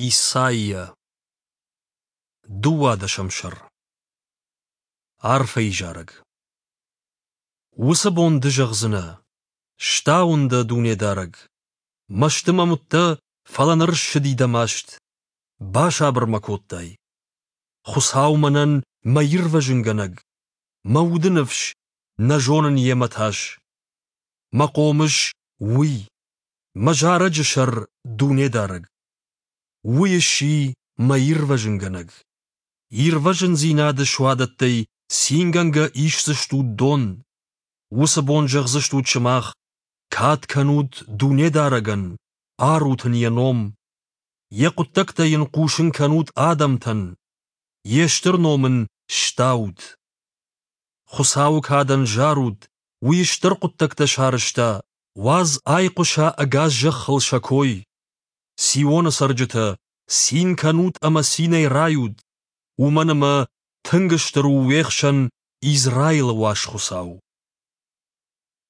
Исайя. Дыууадӕсӕм сӕр. Арфӕйы зарӕг. Уыцы бон ды зӕгъдзынӕ: Стауын дӕ, Дунедарӕг! Мӕсты мӕм уыдтӕ, фӕлӕ ныр ссыди дӕ маст. Басабыр мӕ кодтай. Хуыцау мӕнӕн мӕ ирвӕзынгӕнӕг, мӕ уды ныфс, нӕ зонын йемӕ тас. Мӕ хъомыс — Уый, мӕ зарӕджы сӕр — Дунедарӕг. Уый сси мӕ ирвӕзынгӕнӕг. Ирвӕзындзинады суадӕттӕй цингӕнгӕ исдзыстут дон. Уыцы бон зӕгъдзыстут сымах: Кад кӕнут Дунедарӕгӕн, арут ын йӕ ном. Йӕ хъуыддӕгтӕ йын хъусын кӕнут адӕмтӕн, йе стыр ном ын стаут. Хуыцауы кадӕн зарут, уый стыр хъуыддӕгтӕ сарӕзта, уадз айхъуыса ӕгас зӕххыл сӕ кой. Сионы цӕрджытӕ, цин кӕнут ӕмӕ цинӕй райут, уымӕн ӕмӕ тынг стыр у уе хсӕн Израилы уаз Хуыцау.